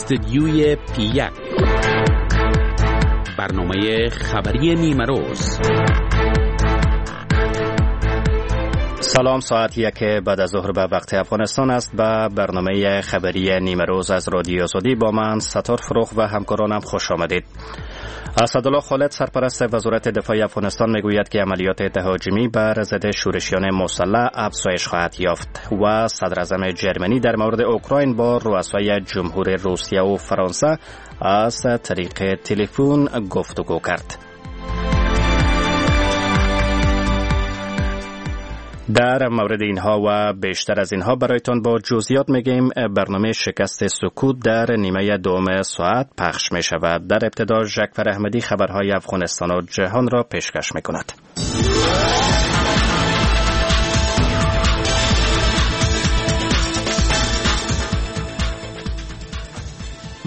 استدیوی پی 1، برنامه خبری نیمه روز. سلام، ساعت 1 بعد از ظهر به وقت افغانستان است. به برنامه خبری نیمه روز از رادیو آزادی با من ستار فروغ و همکارانم خوش آمدید. اسدالله خالد، سرپرست وزارت دفاع افغانستان، میگوید که عملیات تهاجمی بر ضد شورشیان مسلح افزایش خواهد یافت و صدر اعظم جرمنی در مورد اوکراین با رؤسای جمهور روسیه و فرانسه از طریق تلفن گفتگو کرد. در مورد اینها و بیشتر از اینها برایتان با جزئیات میگیم. برنامه شکست سکوت در نیمه دوم ساعت پخش می شود. در ابتدا جعفر احمدی خبرهای افغانستان و جهان را پیشکش می کند.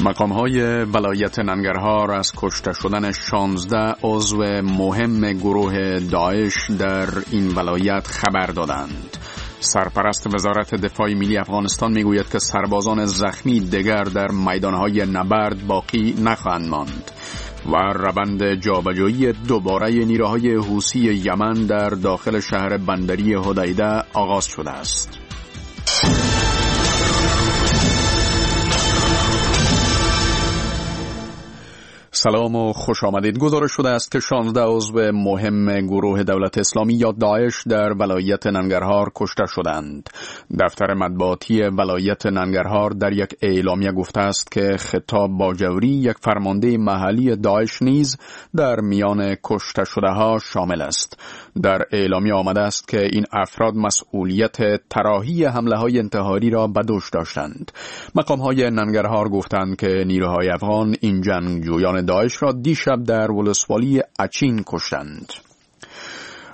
مقام های ولایت ننگرهار از کشته شدن 16 عضو مهم گروه داعش در این ولایت خبر دادند. سرپرست وزارت دفاع ملی افغانستان میگوید که سربازان زخمی دیگر در میدانهای نبرد باقی نخواهند ماند و روند جابجایی دوباره نیروهای حوثی یمن در داخل شهر بندری حدیده آغاز شده است. سلام و خوش آمدید. گزارش شده است که 16 عضو مهم گروه دولت اسلامی یا داعش در ولایت ننگرهار کشته شدند. دفتر مطبوعاتی ولایت ننگرهار در یک اعلامیه گفته است که خطاب باجوری، یک فرمانده محلی داعش، نیز در میان کشته شده ها شامل است. در اعلامیه آمده است که این افراد مسئولیت طراحی حمله های انتحاری را به دوش داشتند. مقام های ننگرهار گفتند که نیروهای افغان این جنگجویان داعش را دیشب در ولسوالی اچین کشتند.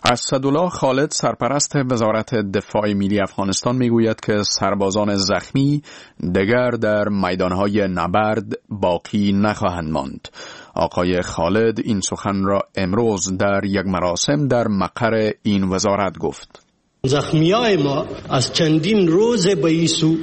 اسدالله خالد، سرپرست وزارت دفاع ملی افغانستان، میگوید که سربازان زخمی دیگر در میدانهای نبرد باقی نخواهند ماند. آقای خالد این سخن را امروز در یک مراسم در مقر این وزارت گفت. زخمی ما از چندین روز به ایسو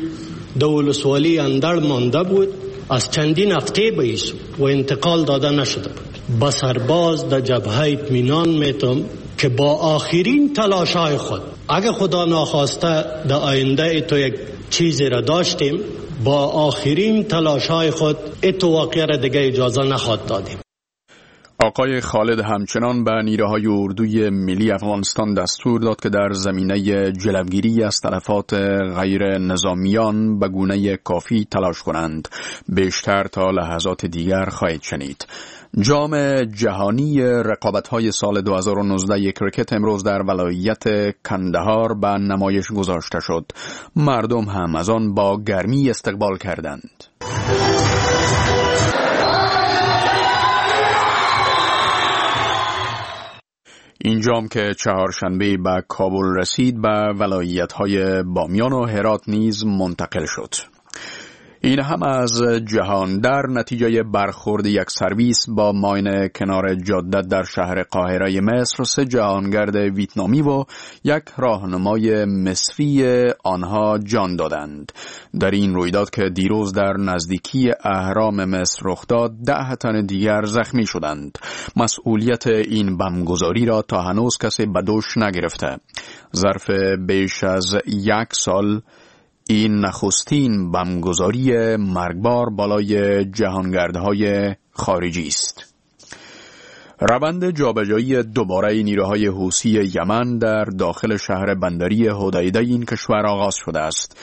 د ولسوالی اندړ مانده بود، از چندین هفته به ایسو و انتقال داده نشده بود. به سرباز در جبهه اطمینان میتم که با آخرین تلاش های خود، اگه خدا ناخواسته در آینده تو یک چیزی را داشتیم، با آخرین تلاش های خود اتو واقعه را دیگه اجازه نخواد دادیم. آقای خالد همچنان به نیروهای اردوی ملی افغانستان دستور داد که در زمینه جلوگیری از تلفات غیر نظامیان به گونه کافی تلاش کنند. بیشتر تا لحظات دیگر خواهید شنید. جام جهانی رقابت‌های سال 2019 کرکت امروز در ولایت کندهار به نمایش گذاشته شد. مردم هم از آن با گرمی استقبال کردند. این جام که چهارشنبه به کابل رسید، به ولایت‌های بامیان و هرات نیز منتقل شد. این هم از جهان. در نتیجه برخورد یک سرویس با ماین کنار جاده در شهر قاهره مصر، 3 جهانگرد ویتنامی و یک راهنمای مصری آنها جان دادند. در این رویداد که دیروز در نزدیکی اهرام مصر رخ داد، 10 تن دیگر زخمی شدند. مسئولیت این بمبگذاری را تا هنوز کسی به دوش نگرفته. ظرف بیش از یک سال این نخستین بمبگذاری مرگبار بالای جهانگردهای خارجی است. روند جابجایی دوباره نیروهای حوثی یمن در داخل شهر بندری حدیده این کشور آغاز شده است.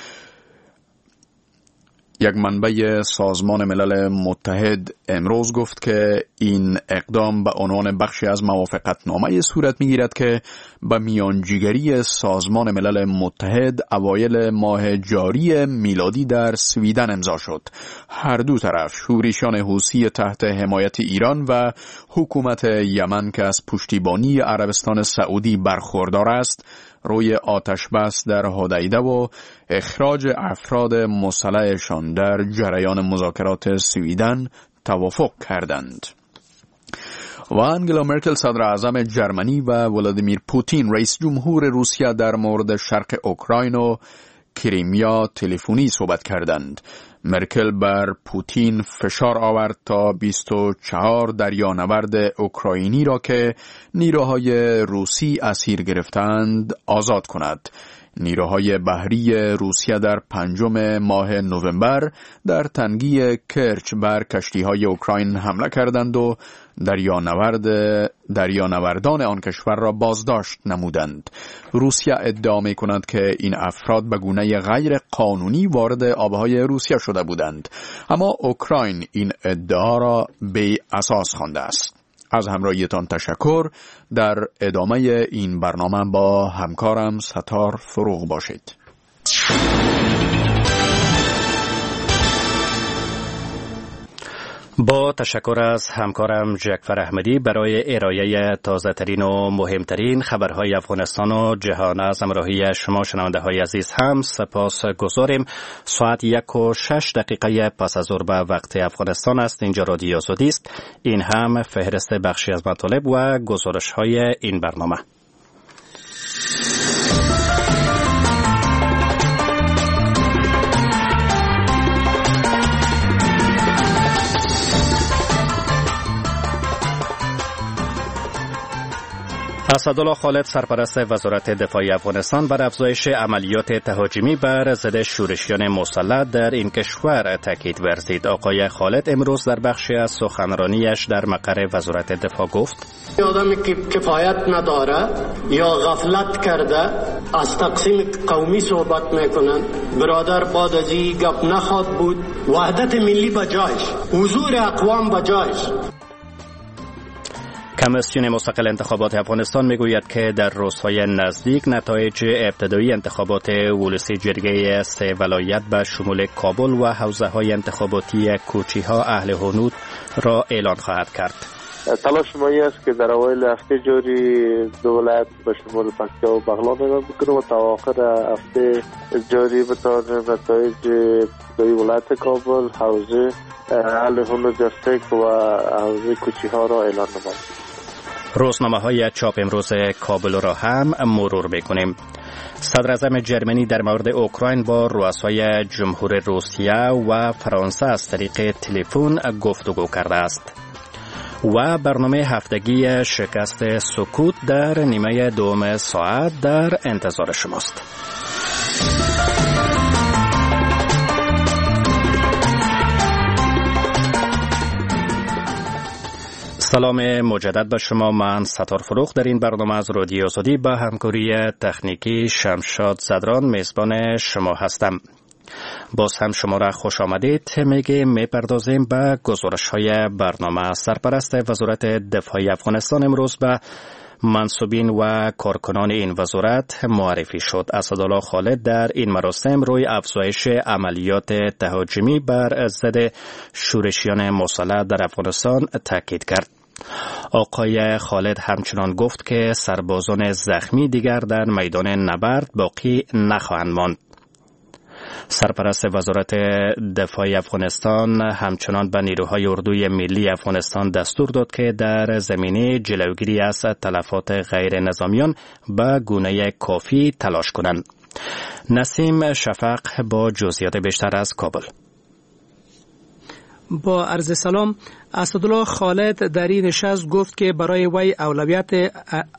یک منبع سازمان ملل متحد امروز گفت که این اقدام به عنوان بخشی از موافقتنامه صورت میگیرد که به میانجیگری سازمان ملل متحد اوایل ماه جاری میلادی در سویدن امضا شد. هر دو طرف، شورشیان حوثی تحت حمایت ایران و حکومت یمن که از پشتیبانی عربستان سعودی برخوردار است، روی آتش بس در حدیده و اخراج افراد مسلحشان در جریان مذاکرات سویدن توافق کردند. و انگلا مرکل، صدر اعظم جرمنی، و ولادیمیر پوتین، رئیس جمهور روسیه، در مورد شرق اوکراین و کریمیا تلفنی صحبت کردند. مرکل بر پوتین فشار آورد تا 24 دریانورد اوکراینی را که نیروهای روسی اسیر گرفتند آزاد کند. نیروهای بحری روسیه در 5 ماه نوامبر در تنگی کرچ بر کشتی‌های اوکراین حمله کردند و دریانوردان آن کشور را بازداشت نمودند. روسیه ادعا می کند که این افراد به گونه غیر قانونی وارد آبهای روسیه شده بودند، اما اوکراین این ادعا را بی اساس خوانده است. از همراهیتان تشکر. در ادامه این برنامه با همکارم ستار فروغ باشید. با تشکر از همکارم جعفر احمدی برای ارائه تازه ترین و مهمترین خبرهای افغانستان و جهان. از همراهی شما شنونده های عزیز هم سپاس گذاریم. ساعت 1:06 پس از ظهر به وقت افغانستان است. اینجا رادیو آزادی است. این هم فهرست بخشی از مطالب و گزارش های این برنامه. اسدالله خالد سرپرست وزارت دفاع افغانستان بر افزایش عملیات تهاجمی بر ضد شورشیان مسلح در این کشور تاکید ورزید. آقای خالد امروز در بخشی از سخنرانیش در مقر وزارت دفاع گفت: آدمی که کفایت نداره یا غفلت کرده از تقسیم قومی صحبت میکنن. برادر بعد از این گپ نخواد بود. وحدت ملی بجایش، حضور اقوام بجایش. کمیسیون مستقل انتخابات افغانستان میگوید که در روزهای نزدیک نتایج ابتدایی انتخابات ولسی جرگه 3 ولایت به شمول کابل و حوزه های انتخاباتی کوچی ها اهل هنود را اعلان خواهد کرد. تلاش ما این است که در اوایل هفته جاری دو ولایت به شمول پکتیا و بغلان اعلان بکنیم و تا آخر هفته جاری بتوانیم نتایج ابتدایی ولایت کابل، حوزه اهل هنود جستک و حوزه کوچی ها را اعلان نماییم. روزنامه های چاپ امروز کابل را هم مرور بکنیم. صدراعظم جرمنی در مورد اوکراین با رؤسای جمهور روسیه و فرانسه از طریق تلفن گفتگو کرده است. و برنامه هفتگی شکست سکوت در نیمه دوم ساعت در انتظار شماست. سلام مجدد به شما، من ستار فروغ در این برنامه از رادیو آزادی با همکاری تکنیکی شمشاد زدران میزبان شما هستم. باز هم شما را خوش آمدید میگه. میپردازیم به گزارش های برنامه. سرپرست وزارت دفاع افغانستان امروز به منسوبین و کارکنان این وزارت معرفی شد. اسدالله خالد در این مراسم روی افزایش عملیات تهاجمی بر ضد شورشیان مسلح در افغانستان تاکید کرد. آقای خالد همچنان گفت که سربازان زخمی دیگر در میدان نبرد باقی نخواهند ماند. سرپرست وزارت دفاع افغانستان همچنان به نیروهای اردوی ملی افغانستان دستور داد که در زمینه جلوگیری از تلفات غیر نظامیان به گونه کافی تلاش کنند. نسیم شفق با جزئیات بیشتر از کابل. با عرض سلام، اسدالله خالد در این نشست گفت که برای وی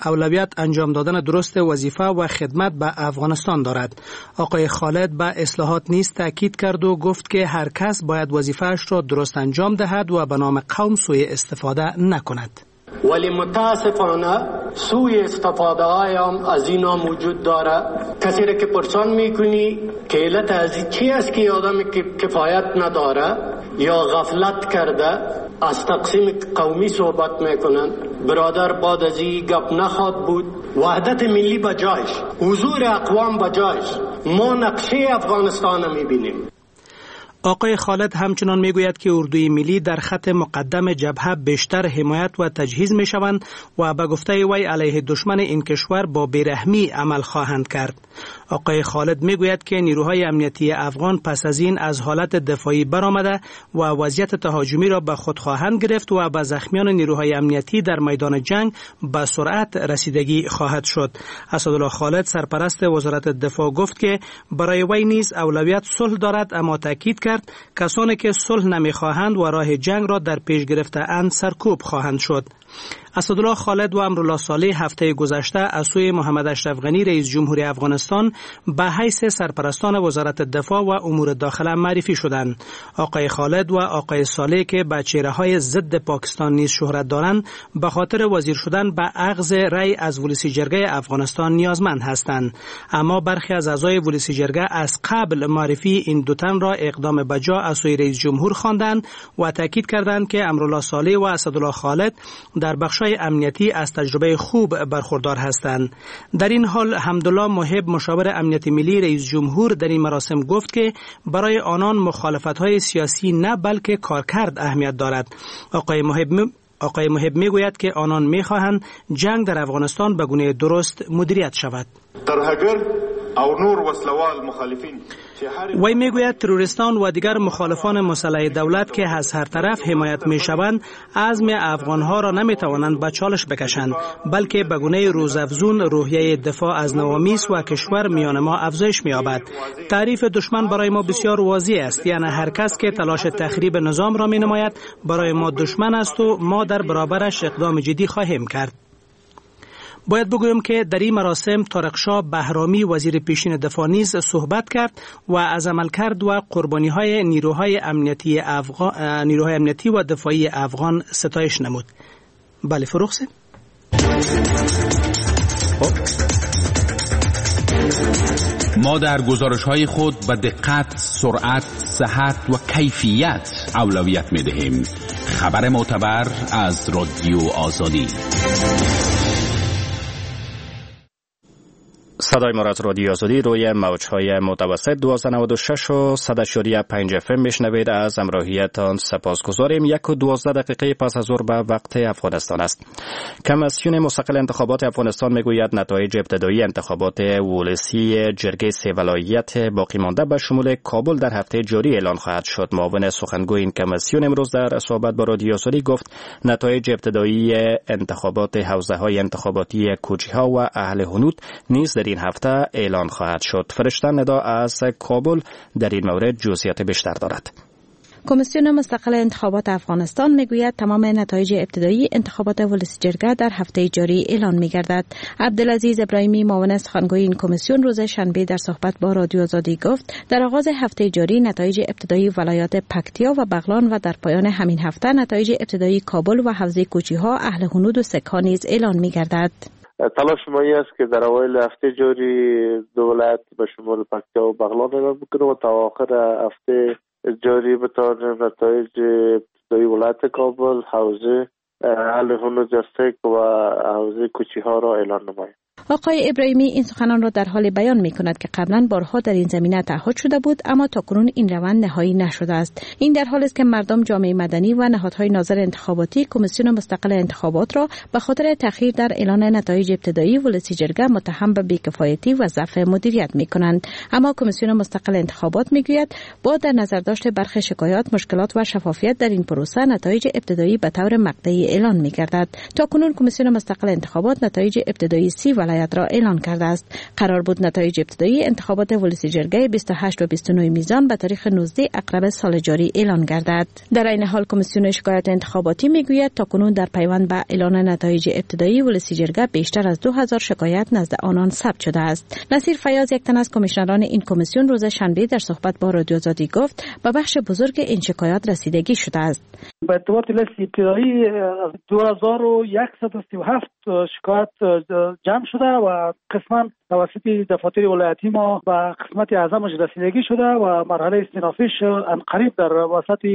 اولویت انجام دادن درست وظیفه و خدمت به افغانستان دارد. آقای خالد به اصلاحات نیز تاکید کرد و گفت که هر کس باید وظیفه‌اش را درست انجام دهد و به نام قوم سوء استفاده نکند. ولی متاسفانه سوء استفاده های هم از اینا موجود داره. کسی را که پرسان میکنی که علت از چی است که آدمی که کفایت نداره یا غفلت کرده از تقسیم قومی صحبت میکنن. برادر بعد از این گپ نخواد بود. وحدت ملی بجایش، حضور اقوام بجایش. ما نقشه افغانستان میبینیم. آقای خالد همچنان میگوید که اردوی ملی در خط مقدم جبهه بیشتر حمایت و تجهیز میشوند و به گفته وی علیه دشمن این کشور با بیرحمی عمل خواهند کرد. آقای خالد میگوید که نیروهای امنیتی افغان پس از این از حالت دفاعی برآمده و وضعیت تهاجمی را به خود خواهند گرفت و به زخمیان نیروهای امنیتی در میدان جنگ به سرعت رسیدگی خواهد شد. اسدالله خالد سرپرست وزارت دفاع گفت که برای وی نیز اولویت صلح دارد، اما تاکید کرد کسانی که صلح نمیخواهند و راه جنگ را در پیش گرفته اند سرکوب خواهند شد. اسدالله خالد و امرالله صالح هفته گذشته از سوی محمد اشرف غنی رئیس جمهوری افغانستان به حیث سرپرستان وزارت دفاع و امور داخله معرفی شدند. آقای خالد و آقای صالح که به چهره‌های ضد پاکستان نیز شهرت دارند، به خاطر وزیر شدن به اخذ رأی از ولسی جرگه افغانستان نیازمند هستند. اما برخی از اعضای ولسی جرگه از قبل معرفی این دو تن را اقدام بجا از سوی رئیس جمهور خواندند و تاکید کردند که امرالله صالح و اسدالله خالد در بخش‌های امنیتی از تجربه خوب برخوردار هستند. در این حال حمدالله محب مشاور امنیت ملی رئیس جمهور در این مراسم گفت که برای آنان مخالفت‌های سیاسی نه بلکه کارکرد اهمیت دارد. آقای محب میگوید که آنان میخواهند جنگ در افغانستان به گونه درست مدیریت شود. وی میگوید تروریستان و دیگر مخالفان مسلح دولت که از هر طرف حمایت میشوند عزم افغانها را نمیتوانند به چالش بکشند، بلکه به گونه روزافزون روحیه دفاع از نوامیس و کشور میان ما افزایش مییابد. تعریف دشمن برای ما بسیار واضح است، یعنی هر کس که تلاش تخریب نظام را مینماید برای ما دشمن است و ما در برابرش اقدام جدی خواهیم کرد. باید بگویم که در این مراسم طارق شاه بهرامی وزیر پیشین دفاع نیز صحبت کرد و از عملکرد و قربانی های نیروهای امنیتی و دفاعی افغان ستایش نمود. بله فروغ سه. ما در گزارش های خود به دقت، سرعت، صحت و کیفیت اولویت می دهیم. خبر معتبر از رادیو آزادی. صدای ما از رادیو آزادی روی موج‌های متوسط 1296 و 100.5 اف ام میشنوید. از همراهیتان سپاسگزاریم. 1:12 پس از ظهر به وقت افغانستان است. کمیسیون مستقل انتخابات افغانستان میگوید نتایج ابتدایی انتخابات ولسی جرگه سه ولایت باقی مانده به شمول کابل در هفته جاری اعلان خواهد شد. معاون سخنگوی این کمیسیون امروز در صحبت با رادیو آزادی گفت نتایج ابتدایی انتخابات حوزه‌های انتخاباتی کوچی‌ها و اهل هنود نیز در این هفته اعلان خواهد شد. فرشته ندا از کابل در این مورد جزئیات بیشتر دارد. کمیسیون مستقل انتخابات افغانستان میگوید تمام نتایج ابتدایی انتخابات ولسی جرگه در هفته جاری اعلان میگردد. عبدالعزیز ابراهیمی معاون سخنگوی این کمیسیون روز شنبه در صحبت با رادیو آزادی گفت در آغاز هفته جاری نتایج ابتدایی ولایات پکتیا و بغلان و در پایان همین هفته نتایج ابتدایی کابل و حوزه کوچی‌ها، اهل هنود و سک‌ها نیز اعلان میگردد. تلاش ما این است که در اوایل هفته جاری دو ولایت به شمول پکتیا و بغلان اعلان بکنیم و تا آخر هفته جاری بتوانیم نتایج ابتدایی ولایت کابل، حوزه اهل هنود سک و حوزه کوچی ها را اعلان نماییم. آقای ابراهیمی این سخنان را در حال بیان می کند که قبلا بارها در این زمینه تعهد شده بود، اما تاکنون این روند نهایی نشده است. این در حال است که مردم، جامعه مدنی و نهادهای ناظر انتخاباتی کمیسیون مستقل انتخابات را به خاطر تأخیر در اعلان نتایج ابتدایی ولسی جرگه متهم به بیکفایتی و ضعف مدیریت می کنند. اما کمیسیون مستقل انتخابات می گوید با در نظر داشت برخی شکایات، مشکلات و شفافیت در این پروسه نتایج ابتدایی به طور مقطعی اعلان می گردد. تاکنون کمیسیون مستقل انتخابات نتایج ابتدایی 30 ولایت را اعلان کرده است. قرار بود نتایج ابتدایی انتخابات ولسی جرگه 28 و 29 میزان به تاریخ 19 عقرب سال جاری اعلان گردد. در این حال کمیسیون شکایات انتخاباتی میگوید تاکنون در پیوند به اعلان نتایج ابتدایی ولسی جرگه بیشتر از 2000 شکایت نزد آنان ثبت شده است. نصیر فیاض، یک تن از کمیشنران این کمیسیون، روز شنبه در صحبت با رادیو آزادی گفت به بخش بزرگ این شکایات رسیدگی شده است. به اعتبار لیست ابتدایی 2137 شکایت جمع شده و قسما توسط دفاتر ولایتی ما به قسمت اعظمش رسیدگی شده و مرحله استینافیش قریب در وسط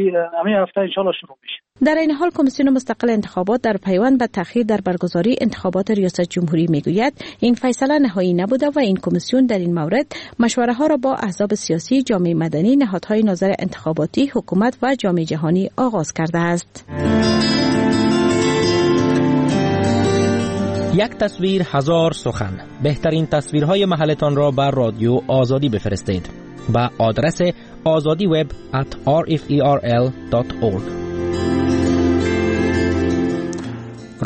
همین هفته انشالله شروع میشه. در این حال کمیسیون مستقل انتخابات در پیوند به تأخیر در برگزاری انتخابات ریاست جمهوری میگوید این فیصله نهایی نبوده و این کمیسیون در این مورد مشوره ها را با احزاب سیاسی، جامعه مدنی، نهادهای ناظر انتخاباتی، حکومت و جامعه جهانی آغاز کرده است. یک تصویر هزار سخن. بهترین تصویرهای محلتان را بر رادیو آزادی بفرستید به آدرس azadiweb@rferl.org.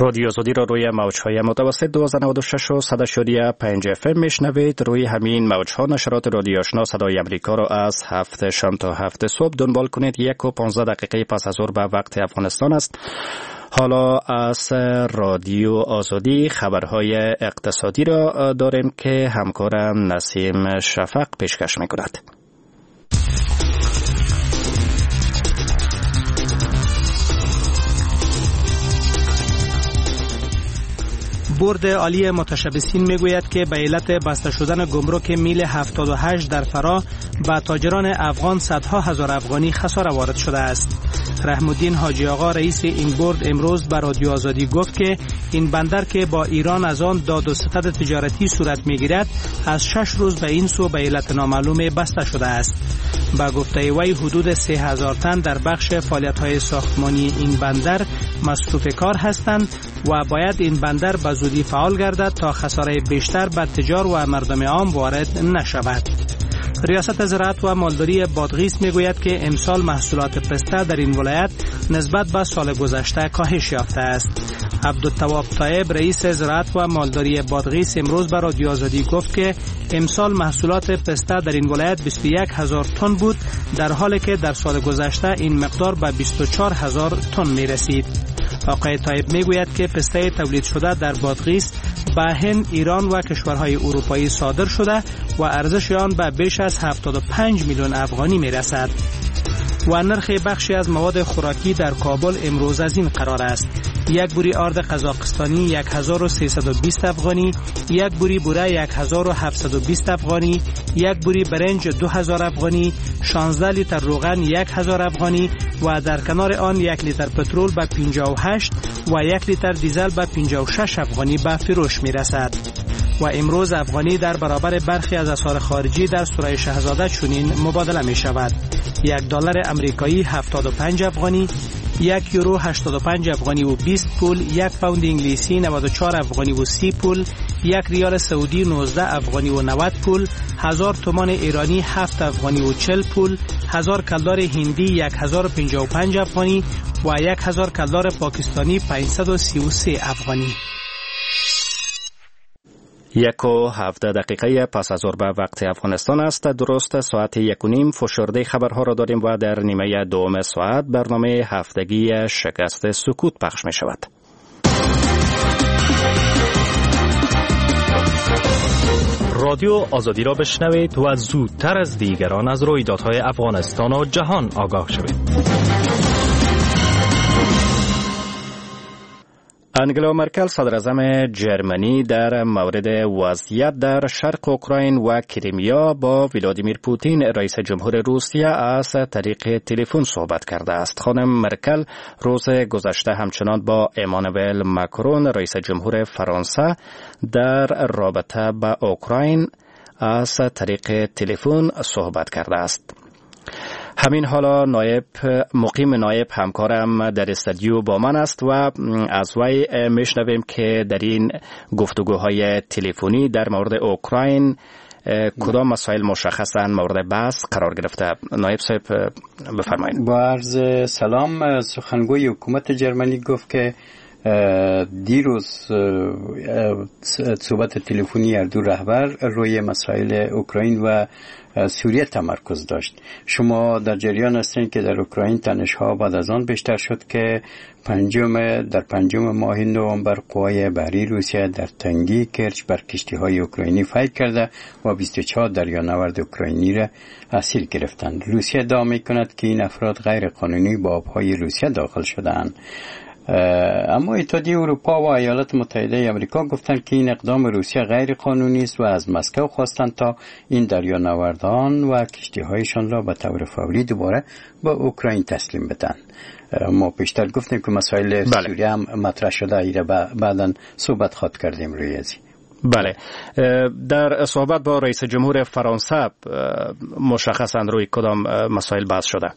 رادیو آزادی را روی موج‌های متوسط 1296 و 100.5 اف ام میشنوید. روی همین موج‌ها نشرات رادیو آشنا صدای امریکا را از 7 شام تا 7 صبح دنبال کنید. 1:15 پس از ظهر به وقت افغانستان است. حالا از رادیو آزادی خبرهای اقتصادی را داریم که همکارم نسیم شفق پیشکش میکند. بورد عالی متشبثین میگوید که به علت بسته شدن گمرک میل 78 در فرا به تاجران افغان صدها هزار افغانی خساره وارد شده است. رحم‌الدین حاجی آقا رئیس این بورد امروز به رادیو آزادی گفت که این بندر که با ایران از آن داد و ستد تجارتی صورت میگیرد از 6 روز به این سو به علت نامعلوم بسته شده است. به گفته وی حدود 3000 تن در بخش فعالیت‌های ساختمانی این بندر مصروف کار هستند و باید این بندر به زودی فعال گردد تا خساره بیشتر بر تجار و مردم عام وارد نشود. ریاست زراعت و مالداری بادغیس میگوید که امسال محصولات پسته در این ولایت نسبت به سال گذشته کاهش یافته است. عبدالتواب طایب رئیس زراعت و مالداری بادغیس امروز به رادیو آزادی گفت که امسال محصولات پسته در این ولایت 21000 تن بود، در حالی که در سال گذشته این مقدار به 24000 تن می رسید. آقای طایب میگوید که پسته تولید شده در بادغیس به هند، ایران و کشورهای اروپایی صادر شده و ارزش آن به بیش از 75 میلیون افغانی میرسد. و نرخ بخشی از مواد خوراکی در کابل امروز از این قرار است: یک بوری آرد قزاقستانی 1320 افغانی، یک بوری بوره 1720 افغانی، یک بوری برنج 2000 افغانی، 16 لیتر روغن 1000 افغانی و در کنار آن 1 لیتر پترول به 58 و 1 لیتر دیزل به 56 افغانی به فروش می رسد. و امروز افغانی در برابر برخی از اسعار خارجی در سرای شهزاده چنین مبادله می شود: $1 امریکایی 75 افغانی، 1 یورو 85 افغانی و 20 پول، 1 پوند انگلیسی 94 افغانی و 30 پول، 1 ریال سعودی 19 افغانی و 90 پول، 1000 تومان ایرانی 7 افغانی و 40 پول، 1000 کلدار هندی 1055 افغانی و 1000 کلدار پاکستانی 533 افغانی. 1:17 پس از ظهر به وقت افغانستان است. درست ساعت 1:30 فشرده خبرها را داریم و در نیمه دوم ساعت برنامه هفتگی شکست سکوت پخش می شود. رادیو آزادی را بشنوید و زودتر از دیگران از رویدادهای افغانستان و جهان آگاه شوید. انگلا مرکل صدراعظم جرمنی در مورد وضعیت در شرق اوکراین و کریمیا با ولادیمیر پوتین رئیس جمهور روسیه از طریق تلفن صحبت کرده است. خانم مرکل روز گذشته همچنان با امانوئل مکرون رئیس جمهور فرانسه در رابطه با اوکراین از طریق تلفن صحبت کرده است. همین حالا مقیم نایب همکارم در استودیو با من است و از وی میشنویم که در این گفتگوهای تلفنی در مورد اوکراین کدام مسائل مشخصا مورد بحث قرار گرفته. نایب صاحب بفرمایید. با عرض سلام، سخنگوی حکومت جرمنی گفت که دیروز صحبت تلفنی هر دو رهبر روی مسائل اوکراین و سوریه تمرکز داشت. شما در جریان هستین که در اوکراین تنش‌ها بعد از آن بیشتر شد که در پنجم ماه نوامبر قوای بحری روسیه در تنگی کرچ بر کشتی‌های اوکراینی فیر کرده و 24 دریانورد اوکراینی را اسیر گرفتند. روسیه ادعا می‌کند که این افراد غیر قانونی به آبهای روسیه داخل شده‌اند. اما اتحادیه اروپا و ایالات متحده آمریکا گفتند که این اقدام روسیه غیر قانونی است و از مسکو خواستند تا این دریانوردان و کشتی‌هایشان را به طور فوری دوباره به اوکراین تسلیم بدن. ما پیشتر گفتیم که مسائل سوریه هم مطرح شده، ایره بعداً صحبت خواهد کردیم روی از. بله، در صحبت با رئیس جمهور فرانسه مشخصاً روی کدام مسائل بحث شده؟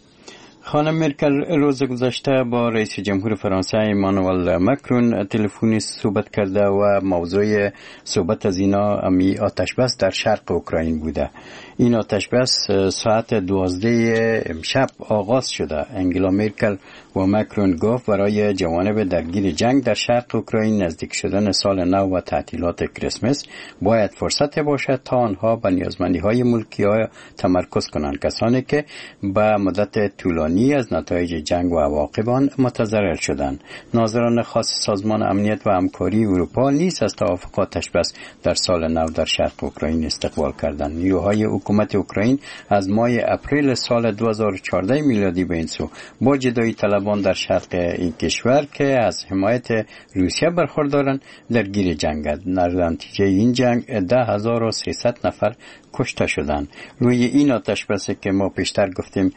خانم مرکل روز گذشته با رئیس جمهور فرانسه ایمانوئل مکرون تلفنی صحبت کرده و موضوع صحبت از اینا امی آتش بس در شرق اوکراین بوده. این آتش بس ساعت 12 امشب آغاز شده. انگلا مرکل و مکرون گفت برای جوانب درگیر جنگ در شرق اوکراین نزدیک شدن سال نو و تعطیلات کریسمس باید فرصت باشد تا آنها به نیازمندی های ملکی ها تمرکز کنند، کسانی که به مدت طولانی از نتایج جنگ و عواقب آن متضرر شدند. ناظران خاص سازمان امنیت و همکاری اروپا نیز از توافق آتش بس در سال نو در شرق اوکراین استقبال کردند. نیروهای حکومت اوکراین از ماه اپریل سال 2014 میلادی به این سو با جدایی طلبان در شرق این کشور که از حمایت روسیه برخوردارند درگیر جنگند. در نتیجه این جنگ 10300 نفر کشته شدند. روی این آتش بس که ما پیشتر گفتیم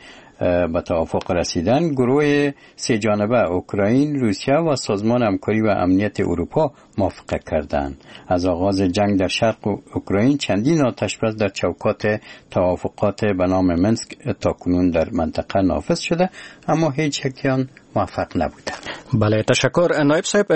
به توافق رسیدن، گروه سه جانبه اوکراین، روسیه و سازمان همکاری و امنیت اروپا موافقه کردند. از آغاز جنگ در شرق اوکراین چندین آتش بس در چوکات توافقات به نام مینسک تاکنون در منطقه نافذ شده، اما هیچ یک آن موفق نبوده. بله، تشکر نایب صاحب.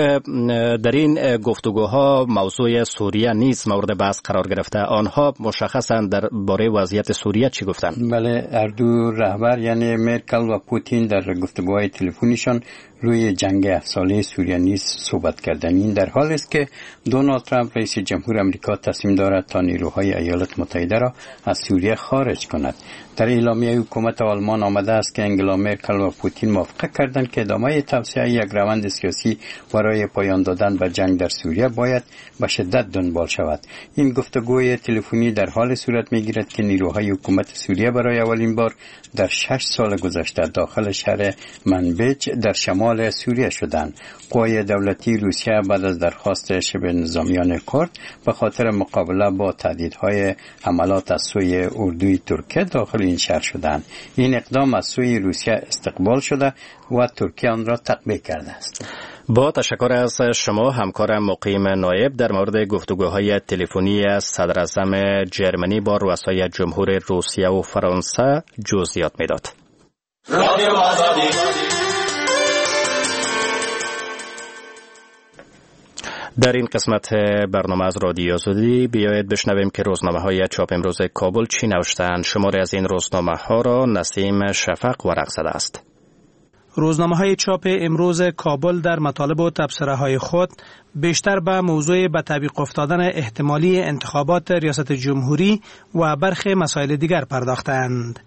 در این گفتگوها موضوع سوریه نیز مورد بحث قرار گرفته. آنها مشخصا در باره وضعیت سوریه چی گفتند؟ بله، هر دو رهبر یعنی مرکل و پوتین در گفتگوهای تلفنیشان روی جنگ 7 ساله سوریه نیز صحبت کردند. این در حال است که دونالد ترامپ رئیس جمهور آمریکا تصمیم دارد تا نیروهای ایالات متحده را از سوریه خارج کند. در اعلامیه حکومت آلمان آمده است که انگلا مرکل و پوتین موافقه کردند که ادامه توسعه یک روند سیاسی برای پایان دادن به جنگ در سوریه باید به شدت دنبال شود. این گفتگوی تلفنی در حال صورت می‌گیرد که نیروهای حکومت سوریه برای اولین بار در 6 سال گذشته داخل شهر منبج در شمال سوریه شدند. قوای دولتی روسیه بعد از درخواست شبه نظامیان کرد به خاطر مقابله با تهدیدهای حملات از سوی اردوی ترکیه داخل این شهر شدند. این اقدام از سوی روسیه استقبال شده و ترکیه آن را تقبیح کرده است. با تشکر از شما همکار مقیم نایب در مورد گفتگوهای تلفنی صدراعظم جرمنی با رؤسای جمهور روسیه و فرانسه جزئیات میداد. در این قسمت برنامه از رادیو آزادی بیاید بشنویم که روزنامه های چاپ امروز کابل چی نوشتند. شماری از این روزنامه ها را نسیم شفق ورق زده است. روزنامه های چاپ امروز کابل در مطالب و تبصره های خود بیشتر به موضوع به تعویق افتادن احتمالی انتخابات ریاست جمهوری و برخی مسائل دیگر پرداختند.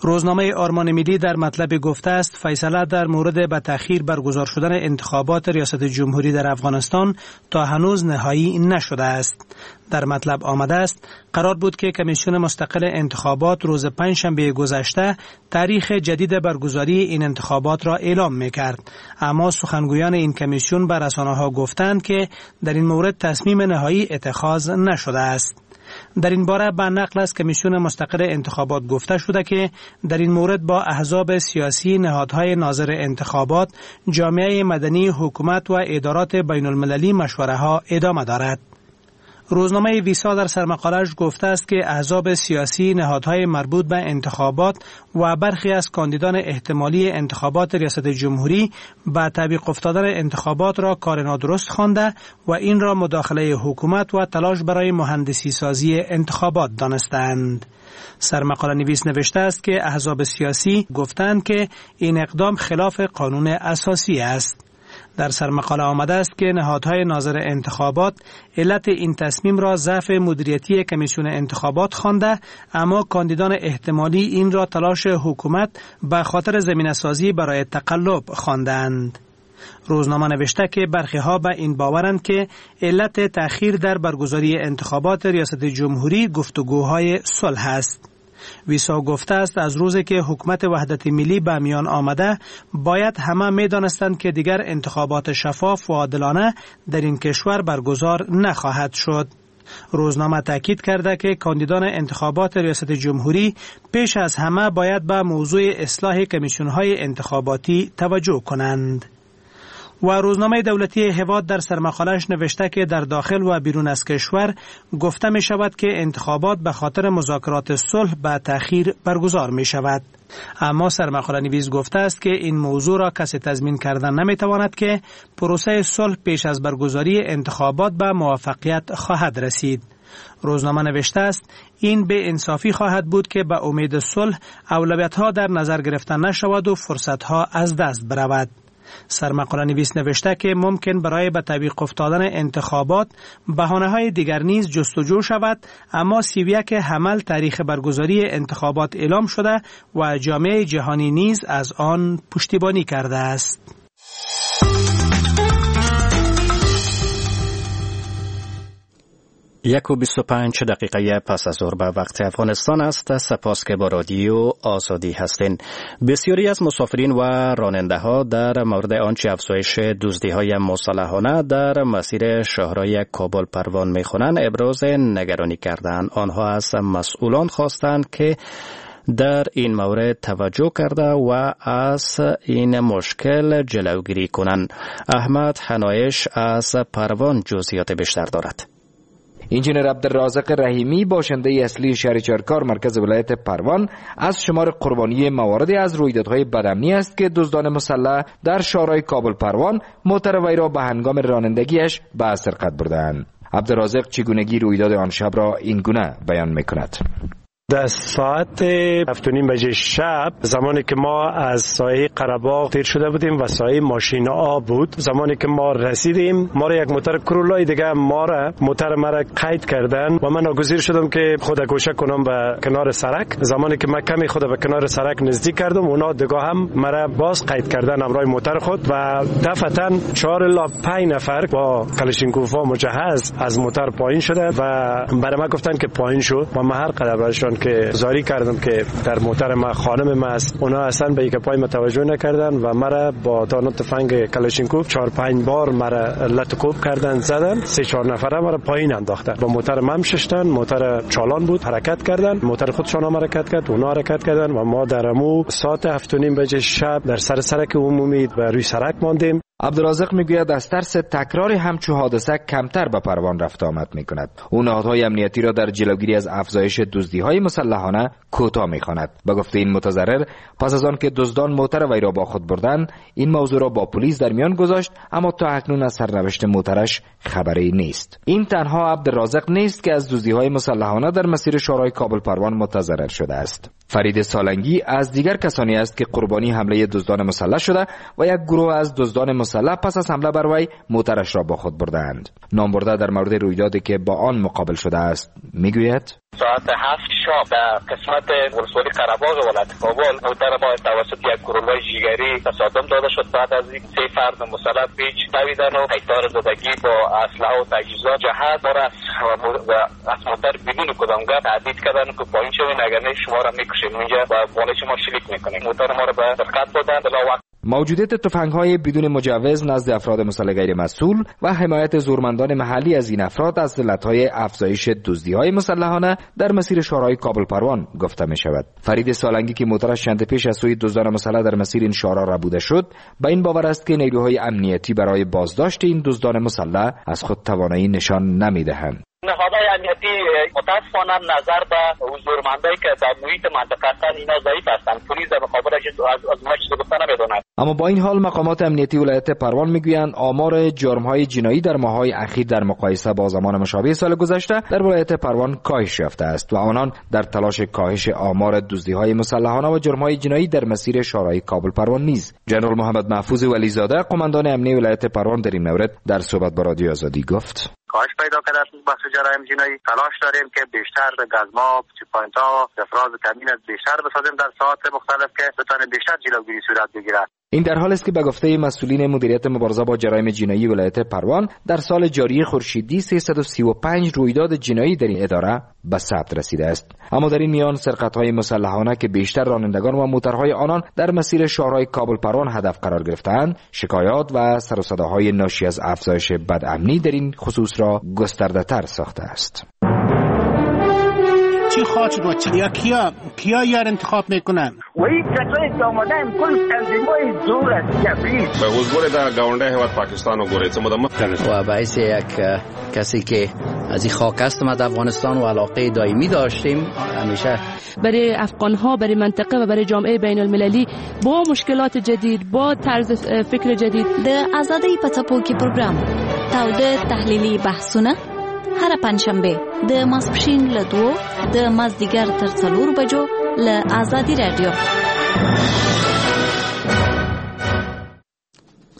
روزنامه آرمان ملی در مطلب گفته است فیصله در مورد به تأخیر برگزار شدن انتخابات ریاست جمهوری در افغانستان تا هنوز نهایی نشده است. در مطلب آمده است قرار بود که کمیسیون مستقل انتخابات روز پنجشنبه گذشته تاریخ جدید برگزاری این انتخابات را اعلام می‌کرد، اما سخنگویان این کمیسیون به رسانه‌ها گفتند که در این مورد تصمیم نهایی اتخاذ نشده است. در این باره به نقل از کمیسیون مستقل انتخابات گفته شده که در این مورد با احزاب سیاسی، نهادهای ناظر انتخابات، جامعه مدنی، حکومت و ادارات بین المللی مشوره ها ادامه دارد. روزنامه ویسا در سرمقاله‌اش گفته است که احزاب سیاسی، نهادهای مربوط به انتخابات و برخی از کاندیدان احتمالی انتخابات ریاست جمهوری به تعویق افتادن انتخابات را کار نادرست خوانده و این را مداخله حکومت و تلاش برای مهندسی سازی انتخابات دانستند. سرمقاله نویس نوشته است که احزاب سیاسی گفتند که این اقدام خلاف قانون اساسی است. در سرمقاله آمده است که نهادهای ناظر انتخابات علت این تصمیم را ضعف مدیریتی کمیسیون انتخابات خوانده، اما کاندیدان احتمالی این را تلاش حکومت به خاطر زمینه سازی برای تقلب خواندند. روزنامه نوشته که برخی ها به این باورند که علت تأخیر در برگزاری انتخابات ریاست جمهوری گفتگوهای صلح است. ویسا گفته است از روزی که حکومت وحدت ملی به میان آمده باید همه می دانستند که دیگر انتخابات شفاف و عادلانه در این کشور برگزار نخواهد شد. روزنامه تاکید کرده که کاندیدان انتخابات ریاست جمهوری پیش از همه باید به موضوع اصلاح کمیسیون‌های انتخاباتی توجه کنند. و روزنامه دولتی هواد در سرمقاله‌اش نوشته که در داخل و بیرون از کشور گفته می شود که انتخابات به خاطر مذاکرات صلح به تأخیر برگزار می شود. اما سرمقاله نویس گفته است که این موضوع را کسی تضمین کردن نمی تواند که پروسه صلح پیش از برگزاری انتخابات به موفقیت خواهد رسید. روزنامه نوشته است این به انصافی خواهد بود که به امید صلح اولویت‌ها در نظر گرفته نشود و فرصت‌ها از دست برود. سرمقاله نویس نوشته که ممکن برای به تعویق افتادن انتخابات بهانه‌های دیگر نیز جستجو شود، اما 31 حمل تاریخ برگزاری انتخابات اعلام شده و جامعه جهانی نیز از آن پشتیبانی کرده است. 1:25 پس از ظهر به وقت افغانستان است. سپاس که با رادیو آزادی هستین. بسیاری از مسافرین و راننده ها در مورد آنچه افزایش دزدی های مسلحانه در مسیر شهرهای کابل پروان میخوانند ابراز نگرانی کردند. آنها از مسئولان خواستند که در این مورد توجه کرده و از این مشکل جلوگیری کنند. احمد حنایش از پروان جزئیات بیشتر دارد. انجینر عبدالرازق رحیمی باشنده اصلی شهر چرکار مرکز ولایت پروان از شمار قربانی مواردی از رویدادهای بدامنی است که دزدان مسلح در شهرهای کابل پروان موتر وی را به هنگام رانندگیش به سرقت بردند. عبدالرازق چگونگی رویداد آن شب را این گونه بیان میکند. در ساعت 7:30 شب، زمانی که ما از ساحه قره‌باغ تیر شده بودیم و ساحه ماشین آب بود، زمانی که ما رسیدیم ما را یک موتر کرولای دیگه ما را موتر مرا قید کردن و من ناگزیر شدم که خود گوشه کنم به کنار سرک. زمانی که من کمی خود به کنار سرک نزدیک کردم، اونا دیگه هم مرا باز قید کردن همراه موتر خود و دفعتاً 4 الی 5 نفر با کلاشینکوفا مجهز از موتر پایین شده و برای من گفتن که پایین شو و من هر قدر برشان که زاری کردم که در موتر ما خانم ما است، اونا اصلا به یک پای متوجه نکردن و مرا با دانه تفنگ کلاشینکوف 4-5 بار مرا لت کوب کردن، زدن، 3-4 نفره مرا پایین انداختن. با موتر من ششتن، موتر چالان بود، حرکت کردن، موتر خودشان هم حرکت کرد، اونا حرکت کردن و ما در امو ساعت 7:30 شب در سر سرک عمومی و روی سرک ماندیم. عبدالرازق میگوید از ترس تکرار همچو حادثه کمتر به پروان رفت آمد میکند. او نهادهای امنیتی را در جلوگیری از افزایش دزدی‌های مسلحانه کوتاه میخواند. به گفته این متضرر، پس از آن که دزدان موتر وی را با خود بردند، این موضوع را با پلیس در میان گذاشت، اما تا اکنون از سرنوشت موترش خبری نیست. این تنها عبدالرازق نیست که از دزدی‌های مسلحانه در مسیر شورای کابل پروان متضرر شده است. فرید سالنگی از دیگر کسانی است که قربانی حمله دزدان مسلح شده و یک گروه از دزدان مسلح پس از حمله بر وی موترش را با خود بردند. نامبرده در مورد رویدادی که با آن مقابل شده است میگوید: ساعت 7 شب در قسمت ولسوالی قره‌باغ ولایت کابل موتر ما توسط یک گروه جیگری تصادم داده شد. بعد از این 3 فرد مسلح پیچ دویدن و قیطار زدگی با اسلحه و تجهیزات جهت ما را از موتر بدون کدام گپ تهدید کردن که پایین شوین، اگر نه شما را میکشیم اینجا و بالای شما شلیک میکنیم. موتر ما را به سرقت دادن. موجودیت تفنگ‌های بدون مجوز نزد افراد مسلح غیر مسئول و حمایت زورمندان محلی از این افراد از علت‌های افزایش دزدی‌های مسلحانه در مسیر شهرهای کابل پروان گفته می‌شود. فرید سالنگی که موترش چند پیش از سوی دزدان مسلح در مسیر این شهرها ربوده شد، به این باور است که نیروهای امنیتی برای بازداشت این دزدان مسلح از خود توانایی نشان نمی‌دهند. نهادهای امنیتی متاسفانه نظر به زورمندایی که در محیط منطقه هستند اینا ضعیف هستند. پلیس در مقابلش از ما چیزی گفته نمیدونند. اما با این حال مقامات امنیتی ولایت پروان میگویند آمار جرم‌های جنایی در ماه‌های اخیر در مقایسه با زمان مشابه سال گذشته در ولایت پروان کاهش یافته است و آنان در تلاش کاهش آمار دزدی‌های مسلحانه و جرم‌های جنایی در مسیر شهرهای کابل پروان نیز. جنرال محمد محفوظ ولیزاده قماندان امنیتی ولایت پروان در این مورد در صحبت با رادیو آزادی گفت: کاهش پیدا کرده است بخش جرایم جنایی. تلاش داریم که بیشتر گزما، چک پوینت‌ها، افراز کمین از بیشتر بسازیم در ساعات مختلف که بتانیم بیشتر جلوگیری صورت بگیرد. این در حال است که به گفته مسئولین مدیریت مبارزه با جرایم جنایی ولایت پروان در سال جاری خورشیدی 335 رویداد جنایی در این اداره به ثبت رسیده است. اما در این میان سرقت‌های مسلحانه که بیشتر رانندگان و موترهای آنان در مسیر شاهراه کابل پروان هدف قرار گرفتند، شکایات و سر و صداهای ناشی از افزایش بدامنی در این خصوص را گسترده‌تر ساخته است. چی خواهد شد یا کیا یار انتخاب میکنن؟ و این کسایی که آمدن کل تنظیمای زور است جبری به حضور در گاونده هیواد پاکستان وګورئ څه موده مخکې و باعث یک کسی که از این خاک است ما در افغانستان و علاقه دائمی داشتیم همیشه برای افغان ها، برای منطقه و برای جامعه بین المللی با مشکلات جدید، با طرز فکر جدید. د ازادۍ په څپو کې پروګرام تاوده تحلیلي بحثونه هر پنجشنبه د ماسپښین له 2 د مازدیګر تر 4 بجو له ازادي رادیو.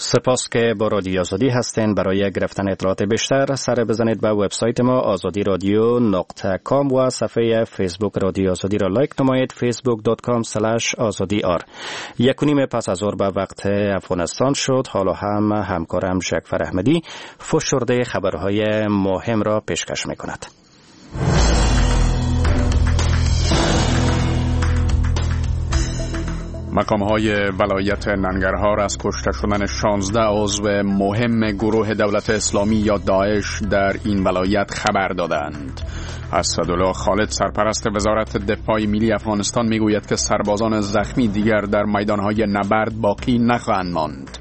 سپاس که با رادیو آزادی هستین. برای گرفتن اطلاعات بیشتر سر بزنید به وبسایت ما azadiradio.com و صفحه فیسبوک رادیو آزادی را لایک نمایید facebook.com/azadiR. 1:30 پس از ظهر به وقت افغانستان شد. حالا هم همکارم جعفر احمدی فشرده خبرهای مهم را پیشکش میکند. مقام های ولایت ننگرهار از کشته شدن 16 عضو مهم گروه دولت اسلامی یا داعش در این ولایت خبر دادند. اسدالله خالد سرپرست وزارت دفاع ملی افغانستان میگوید که سربازان زخمی دیگر در میدانهای نبرد باقی نخواهند ماند.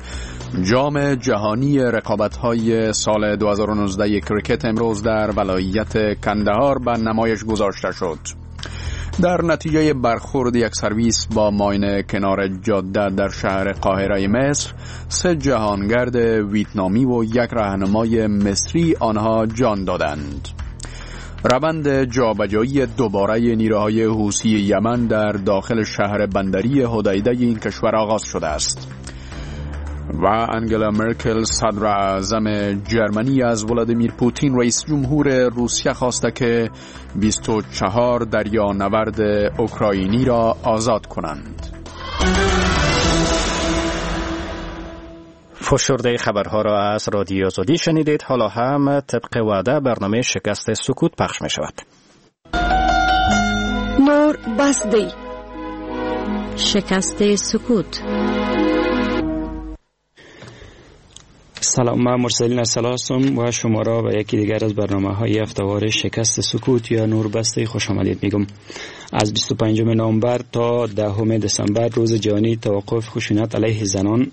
جام جهانی رقابت‌های سال 2019 کرکت امروز در ولایت کندهار به نمایش گذاشته شد. در نتیجه برخورد یک سرویس با ماین کنار جاده در شهر قاهره مصر، 3 جهانگرد ویتنامی و 1 راهنمای مصری آنها جان دادند. روند جابجایی دوباره نیروهای حوثی یمن در داخل شهر بندری حدیده این کشور آغاز شده است. و انگلا مرکل صدر اعظم جرمنی از ولادیمیر پوتین رئیس جمهور روسیه خواسته که 24 دریانورد اوکراینی را آزاد کنند. فشرده خبرها را از رادیو آزادی شنیدید. حالا هم طبق وعده برنامه شکست سکوت پخش می شود. نور بس دی. شکست سکوت. سلام، من مرسلین ارسلا هستم و شما را به یکی دیگر از برنامه‌های هفته‌وار شکست سکوت یا نور بسته خوش آمدید میگم. از 25 نوامبر تا 10 دسامبر روز جهانی توقف خشونت علیه زنان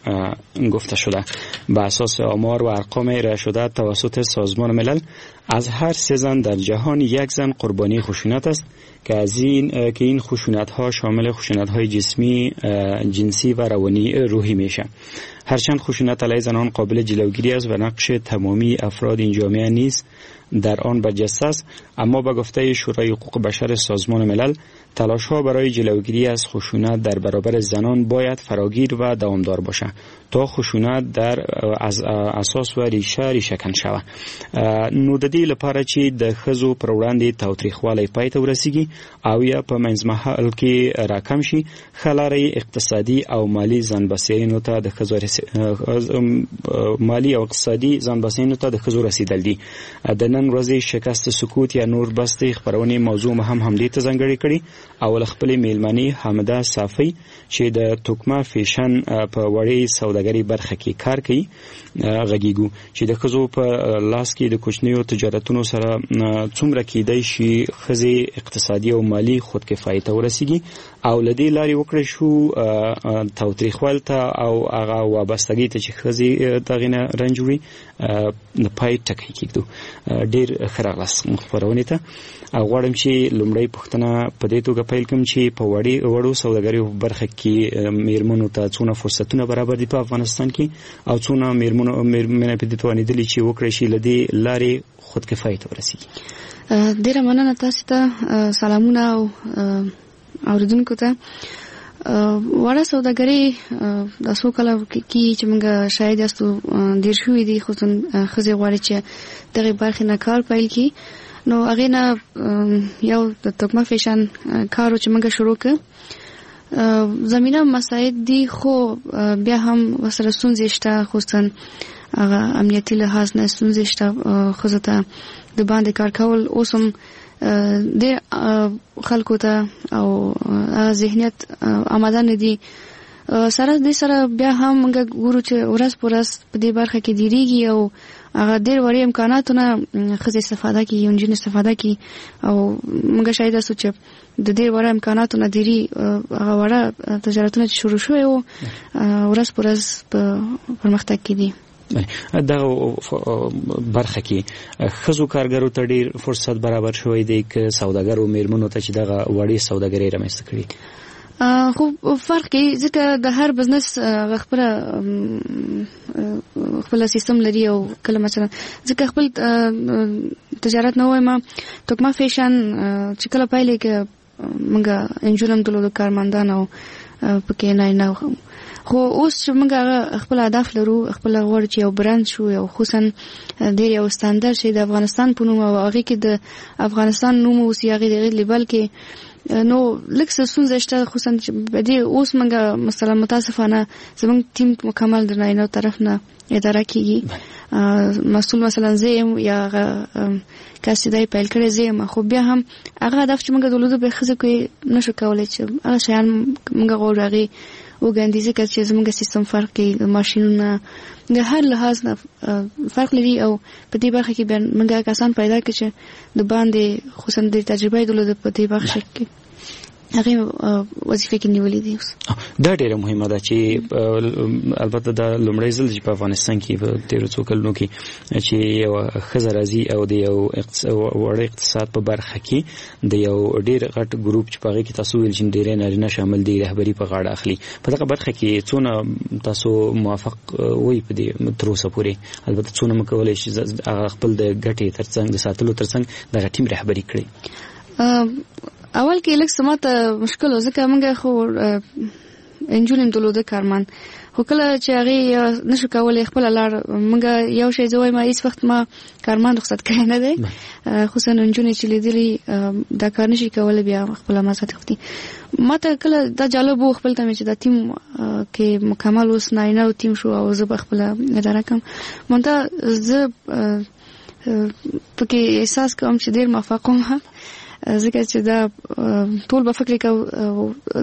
گفته شده. به اساس آمار و ارقام ارائه شده توسط سازمان ملل، از هر 3 زن در جهان 1 زن قربانی خشونت است که از این که این خشونت ها شامل خشونت های جسمی، جنسی و روانی روحی میشه. هرچند خشونت علیه زنان قابل جلوگیری است و نقش تمامی افراد این جامعه نیز در آن برجسته است، اما به گفته شورای حقوق بشر سازمان ملل، تلاش ها برای جلوگیری از خشونت در برابر زنان باید فراگیر و دوامدار باشد تا خشونت در از اساس و ریشه کن شود. نو د دې لپاره چې د ښځو پر وړاندې تاوتریخوالی پای ته ورسیږي او یا په منځمهال کې راکم شي، ښه لاره یې اقتصادي او مالي ځانبسیاینو ته د ښځو مالي او اقتصادي ځانبسیاینو ته د ښځو رسیدل دي. د نن ورځې شکست سکوت یا نور بستې خپرونې موضوع هم همدې ته ځانګړې کړې او له خپلې میلمنې حامده صافی چې د توکمه فیشن په وړې سوداګرۍ برخه کې کار کوي غږیږو چې د ښځو په لاس کې د کوچنیو تجارتونو سره څومره کیدای شي ښځې اقتصادي او مالي خودکفایي ته ورسیږي او له دې لارې وکړای شو تاوتریخوالي ته او هغه وابستګۍ ته چې ښځې دغې نه رنج وړي د پای ټکی کېږدو. ډېر ښه راغلاست خپرونې ته. او غواړم چې لومړۍ پوښتنه په دې توګه پیل کړم چې په وړو سوداګریو برخه کې میرمنو ته څونه فرصتونه برابر دي په افغانستان کې او څونه میرمنې په دې توانېدلي چې وکړای شي له دې لارې خودکفایي ته ورسیږي؟ ډېره مننه تاسو ته، سلامونه او اوریدونکو ته. وړه سوداګري د څو کاله کې چې موږ شاهد یاستو ډېر شوي دي، خصوصا ښځې غواړي چې دغې برخې نه کار پیل کړي. نو هغې نه یو د توکمه فیشن کار و چې موږ شروع کړ. زمینه مساعد دي، خو بیا هم ورسره ستونزې شته، خصوصا هغه امنیتي لحاظ نه ستونزې شته. ښځو ته د باندې کار کول اوس هم ډېر خلکو ته او هغه ذهنیت آماده نه دي. سره دې سره بیا هم موږ ګورو چې ورځ په ورځ په دې برخه کې ډیریږي او هغه ډېر وړې امکاناتو نه ښځې استفاده کوي، نجونې استفاده کوي، او موږ شاهد یاستو چې د ډېر وړه امکاناتو نه ډېری هغه وړه تجارتونه چې شروع شوي وو ورځ په ورځ په پرمختګ کې دي. دغه برخه کې ښځو کارګرو ته ډیر فرصت برابر شوی دی که سوداګرو میرمنو ته چې دغه وړې سوداګرۍ رامنځته کړي؟ خو فرق کوي، ځکه د هر بزنس خپل خپل سیستم لري، او کله مثلا ځکه خپل تجارت نه وایم، توکمه فیشن چې کله پیلې کې موږ انجونم درلودو کارمندان او پکې نه نه، خو اوس چې موږ هغه خپل هدف لرو، خپل غواړو چې یو برند شو، یو خصوصا ډېر یو ستندرد شي د افغانستان په نوم، او هغې کې د افغانستان نوم اوسي، هغې د هغې لیبل کې، نو لږ څه ستونزه شته، خصوصا چې په دې اوس موږ مثلا متاسفانه زموږ ټیم مکمل د نارینه طرف نه اداره کیږي. مسؤل مثلا زه یم یا هغه کس چې دا یې پیل کړی زه یم، خو بیا هم هغه هدف چې موږ درلودو به ښځو کې نشو کولی چې هغه شیان موږ غواړو هغې وګڼي، ځکه چې زموږ سیستم فرق کوي، د ماشینونه د هر لحاظ نه فرق لري، او په دې برخه کې بیا موږ کسان پیدا کړو چې د باندې خصوصا د تجربه یې درلوده په دې برخه کې هغه وظیفه کې نیولې دي. اوس دا ډیره مهمه ده چې البته دا لومړی ځل چې په افغانستان کې په تیرو څو کلونو کې چې یو ښځه راځي او د یو وړ اقتصاد په برخه کې د یو ډیر غټ ګروپ چې په هغه کې تاسو ویل چې ډیری نارینه شامل دي رهبري په غاړه اخلي، په دغه برخه کې څونه تاسو موافق وئ په دې تر اوسه پورې؟ البته څونه مو کولی شي هغه خپل د ګټې ترڅنګ د ساتلو ترڅنګ دغه ټیم رهبري کړي؟ اول کې لږ څه ماته مشکل و، ځکه موږ خو انجونې هم درلوده کارمند، خو کله چې هغې نشو کولی خپله لار، موږ یو شی زه وایم هیڅ وخت ما کارمند رخصت کړی نه دی، خصوصا نجونې چې لیدلي دا کار نشي کولی بیا خپله مزه تښتي. ما ته کله دا جالب و خپل ته مې چې دا ټیم کې مکمل اوس نارینه او ټیم شو او زه به خپله اداره کوم، مونته زه پکې احساس کوم چې ډېر موفق وم، ځکه چې دا ټول به فکر کوي،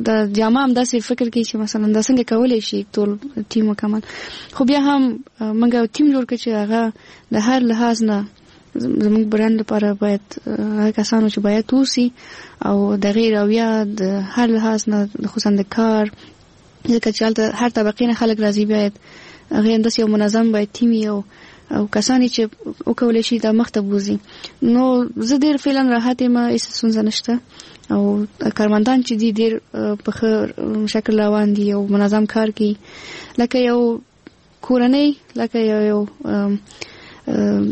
دا جامه هم داسې فکر کوي چې مثلا دا څنګه کولی شي ټول ټیم مکمل، خو بیا هم موږ یو ټیم جوړ کړ چې هغه د هر لحاظ نه زموږ برند لپاره باید هغه کسانو چې باید اوسي او د هغې رویه د هر لحاظ نه، خصوصا د کار، ځکه چې هلته هر طبقې نه خلک راځي، باید هغې همداسې یو منظم باید ټیم وي او کسان چې وکولی شي دا مخته بوځي. نو زه ډېر فعلا راحت یم، هېڅ ستونزه نشته، او کارمندان چې دي ډېر په ښه شکل روان دي او منظم کار کوي، لکه یو کورنۍ، لکه یو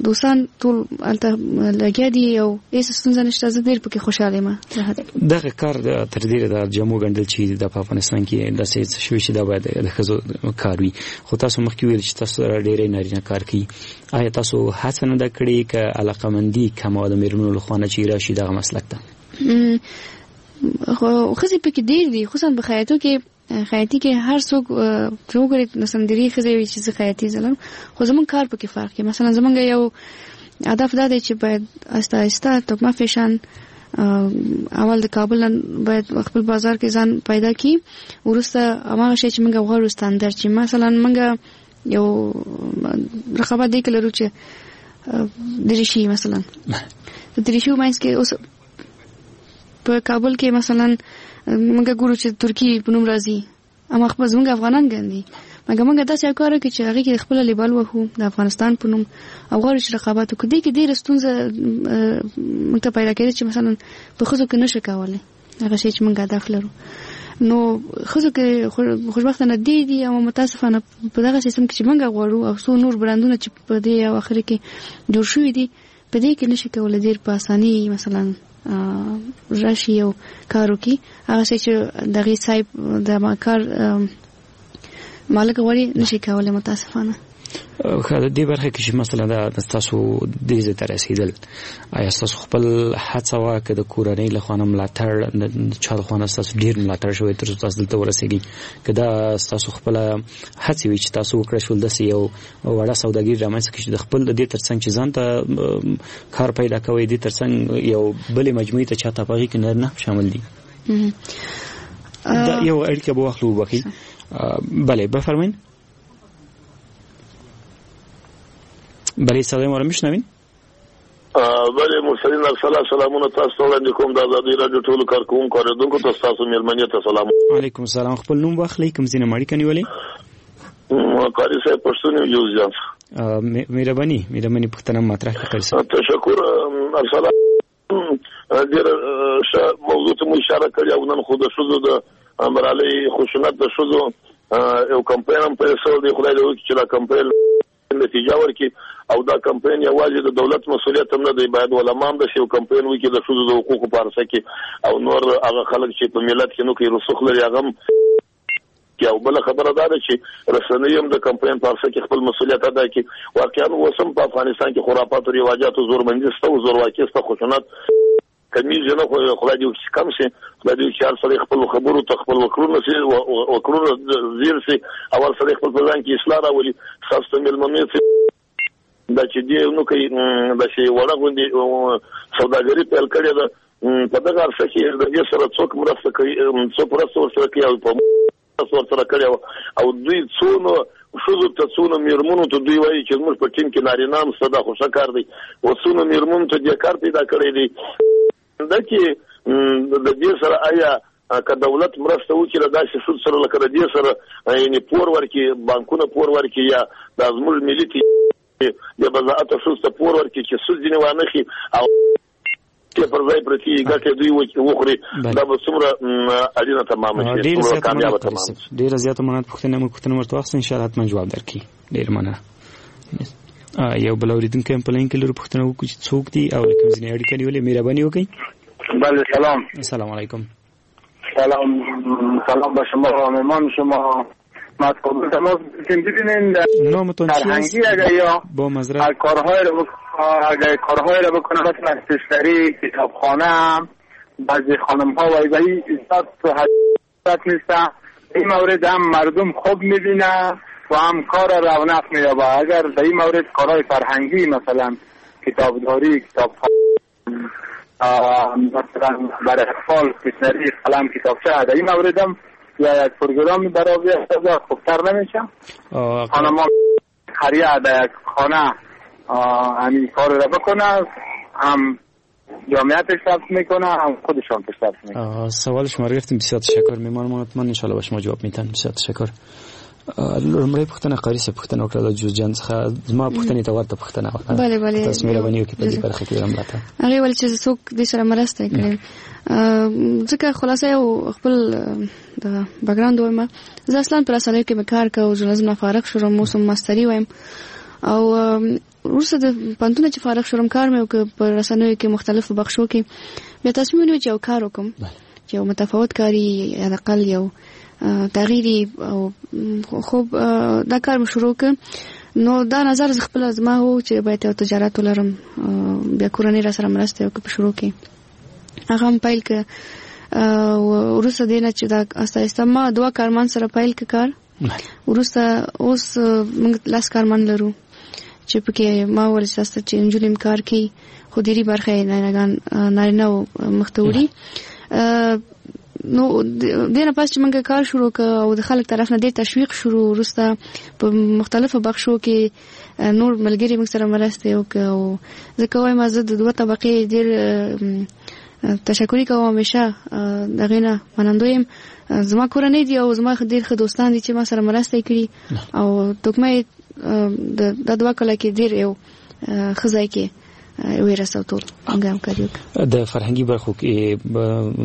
دوستان ټول هلته لګیا دي او هېڅ ستونزه نشته، زه ډېر پکې خوشحاله یم. دغه کار تر ډېره د جامو ګنډل چې د په افغانستان کې داسې څه شوي چې دا باید د ښځو کار وي، خو تاسو مخکې ویل چې تاسو سره ډېری نارینه کار کوي، آیا تاسو هڅه نه ده کړې که علاقمندي کمه وه د مېرمنو لخوا نه چې راشي دغه مسلک ته؟ خو ښځې پکې ډېر دي، خصوصا په خیاطو کې، خیاطي کې هر څوک چې وګوري مثلا ډېری ښځې وي چې زه خیاطي زلم، خو زموږ کار پکې فرق کوي. مثلا زموږ یو هدف دا دی چې باید آهسته آهسته توکمه فیشن اول د کابل نه باید خپل بازار کې ځان پیدا کړي، وروسته هماغه شی چې موږ غواړو ستندرد چې مثلا موږ یو رقابت دی کې لرو چې دریشي، مثلا د دریشي منځ کې اوس په کابل کې مثلا موږ ګورو چې ترکی په نوم راځي، اما خپل زموږ افغانان ګڼي، مګر موږ داسې یو کار وکړو چې هغې کې خپله لیبل وهو د افغانستان په نوم او غواړو چې رقابت وکړو. دې کې ډېره ستونزه موږ ته پیدا کېده چې مثلا په ښځو کې نشو کولی هغه شی چې موږ هدف لرو، نو ښځو کې خوشبختانه ډېر دي، اما متاسفانه په دغه سیستم کې چې موږ غواړو او څو نور برندونه چې په دې او اخري کې جوړ شوي دي، په دې کې نشي کولی ډېر په اساني مثلا راشي او کار وکړي، هغه شی چې دغې صاحب د کار مالک غواړي نشي کولی متاسفانه. ښه، د دې برخه کې چې مثلا دا تاسو دې ځای ته رسیدل، آیا تاسو خپل هڅه وه که د کورنۍ له خوا نه ملاتړ، د چا له خوا نه تاسو ډیر ملاتړ شوی تر څو تاسو دلته ورسیږئ، که دا تاسو خپل هڅې وي چې تاسو وکړای شول داسې یو وړه سوداګري رامنځته کړئ چې د خپل د دې ترڅنګ چې ځان ته کار پیدا کوئ، دې ترڅنګ یو بلې مجموعې ته چاته په هغې کې نارینه هم شامل دي؟ دا یو اړیکه به واخلو، وبخښئ. بله، بفرمایئ. بله، صدای ما رو میشنوین؟ بله مرسلین ارسلا، سلامونه تاسو ته وړاندې کوم، د ازادي راډیو ټولو کارکوونکو اورېدونکو ته، ستاسو مېلمنې ته سلام. علیکم السلام. خپل نوم واخلئ، کوم ځای نه مو اړیکه نیولې؟ قاري صاحب پښتون یم، جوزجان. مهرباني، مهرباني، پوښتنه مطرح کړئ قاري صاحب. تشکر ارسلا، ډېره ښه موضوع ته مو اشاره کړې. او نن خو د ښځو د برالۍ خشونت د ښځو یو کمپاین هم پیل شوی دی. خدای دې وکړي چې دا کمپاین نتیجه ورکړي. او دا کمپاین یوازې د دولت مسولیت هم نه دی، باید علما هم داسې یو کمپاین وکړي د ښځو د حقوقو په عرصه کې، او نور هغه خلک چې په ملت کې نو کې رسوخ لري هغه هم. او بله خبره دا ده چې رسنۍ هم د کمپاین په عرصه کې خپل مسولیت ادا کړي. واقعا اوس هم په افغانستان کې خرافات او رواجاتو زورمندي شته او زورواکي شته، خشونت کمیږي نه، خو خدای دې وکړي چې کم شي. خدای دې وکړي چې هر سړی خپل خبرو ته خپل وکړونه شي، وکړونه ځیر شي، او هر سړی خپل په ځان کې اصلاح راولي. ستاسو ته مېلمنې دا چې دې نو کوي داسې وړه غوندې سوداګري پیل کړې ده، په دغه عرصه کې د دې سره څوک مرسته کوي، څوک مرسته ورسره کوي او په مرسته ورسره کړې وه؟ او دوی څونه ښځو ته، څونه مېرمنو ته، دوی وایي چې زموږ په ټیم کې نارینه هم شته، دا خو ښه کار دی، او څونه مېرمنو ته دې کار پیدا کړی دی؟ دا چې د دې سره آیا که دولت مرسته وکړي له داسې ښځو سره، لکه د دې سره یعنې پور ورکړي، بانکونه پور ورکړي، یا دا زموږ ملي د بضاعت ښځو ته پور ورکړي چې سود ځینې وانخلي او پر ځای پرتې ګټې دوی وخوري، دا به څومره اړینه تمامه شي، څومره کامیابه تمامه شي. ډېره زیاته مننه. پوښتنه مو پوښتنه ورته واخیسته، ان شاء الله حتما جواب درکړي. ډېره مننه. یو بل اوریدونکی هم په لاین کې لرو، پوښتنه وکړو چې څوک دي او له کوم ځای نه اړیکه نیولې. مهرباني وکړئ. بله، سلام. سلام علیکم. سلام، سلام به شما و مهمان شما. ما از کابل تماس گرفتیم. ببینین نامتون چی فرهنگی اگر یا با معذرت کارهای رو اگر کارهای رو بکنه، مثلا استشنری، کتابخانه هم بعضی خانم ها و ای زیاد حضرت نیستن. این مورد هم مردم خوب میبینه و هم کار رونق مییابه. اگر در این مورد کارهای فرهنگی مثلا کتابداری، کتابخانه، مثلا برای اطفال استشنری، قلم، کتابچه، در این مورد هم یا یک پروگرام برای خوبتر نمیشه؟ خانم ها قریه در یک خانه همین کار را بکنه، هم جامعه پیشرفت میکنه، هم خودشان پیشرفت میکنه. سوال شما رو گرفتیم، بسیار تشکر. میمان ما حتما ان شاء الله به شما جواب میتن. بسیار تشکر. لومړۍ پوښتنه قاري صاحب پوښتنه وکړه د جوزجان څخه، زما پوښتنې ته ورته پوښتنه وه. بله بله. تاسو مهرباني وکړئ په دې برخه کې ملاتړ. هغې ویل چې څوک دې سره مرسته کړې، ځکه خلاصه یو خپل د بکګراوند وایم. زه اصلا په رسنیو کې مې کار کاوه، ژورنالیزم نه فارغ شوم، اوس هم ماستري وایم، او وروسته د پوهنتونه چې فارغ شوم کار مې وکړ په رسنیو کې مختلفو بخشو کې. بیا تصمیم ونیو چې یو کار وکړم چې یو متفاوت کاري، حداقل یو تغییري، او خو دا کار مې شروع کړ. نو دا نظر خپل زما و چې باید یو تجارت ولرم، بیا کورنۍ را سره مرسته وکړه په شروع کې، هغه هم پیل کړ. وروسته دې نه چې دا آهسته آهسته ما دوه کارمند سره پیل کړ کار. وروسته اوس موږ 10 کارمند لرو چې پکې ما وویل چې چې نجونې هم کار کوي، خو ډېری برخه یې نارینه مخته وړي. نو دې نه پس چې موږ کار شروع کړ او د خلک طرف نه ډېر تشویق شروع، وروسته په مختلفو بخشو کې نور ملګري موږ سره مرسته وکړه. او ځکه وایم زه د دوه طبقې ډېر تشکري کوم، همیشه د هغې نه منندوی یم. زما کورنۍ دي او زما ډېر ښه دوستان دي چې ما سره مرسته یې کړي، او توکمه یې د دوه کاله کې ډېر یو ښه ځای کې وی رسو ټول موږ همکاري وکړو. د فرهنګي برخو کې